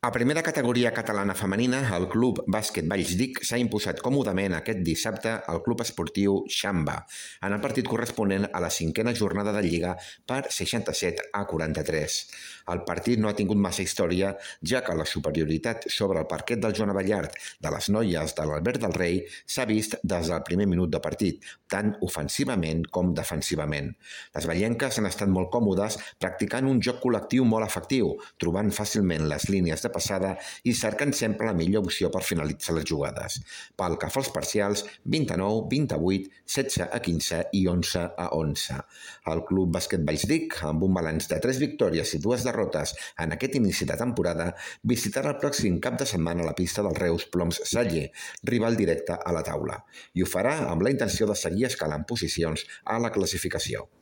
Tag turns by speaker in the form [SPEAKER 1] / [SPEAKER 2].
[SPEAKER 1] A primera categoria catalana femenina, el Club Bàsquet Vallsdic s'ha imposat còmodament aquest dissabte al Club Esportiu Xamba, en el partit corresponent a la 5a jornada de Lliga per 67-43. El partit no ha tingut massa història, ja que la superioritat sobre el parquet del Joan Abellart de les noies de l'Albert del Rei s'ha vist des del primer minut de partit, tant ofensivament com defensivament. Les vellenques han estat molt còmodes practicant un joc col·lectiu molt efectiu, trobant fàcilment les línies de passada i cercant sempre la millor opció per finalitzar les jugades. Pel que fa als parcials, 29, 28, 16-15 i 11-11. El Club Bàsquet Vallsdic, amb un balanç de 3 victòries i 2 derrotes en aquest inici de temporada, visitarà el pròxim cap de setmana la pista del Reus Ploms Saller, rival directe a la taula, i ho farà amb la intenció de seguir escalant posicions a la classificació.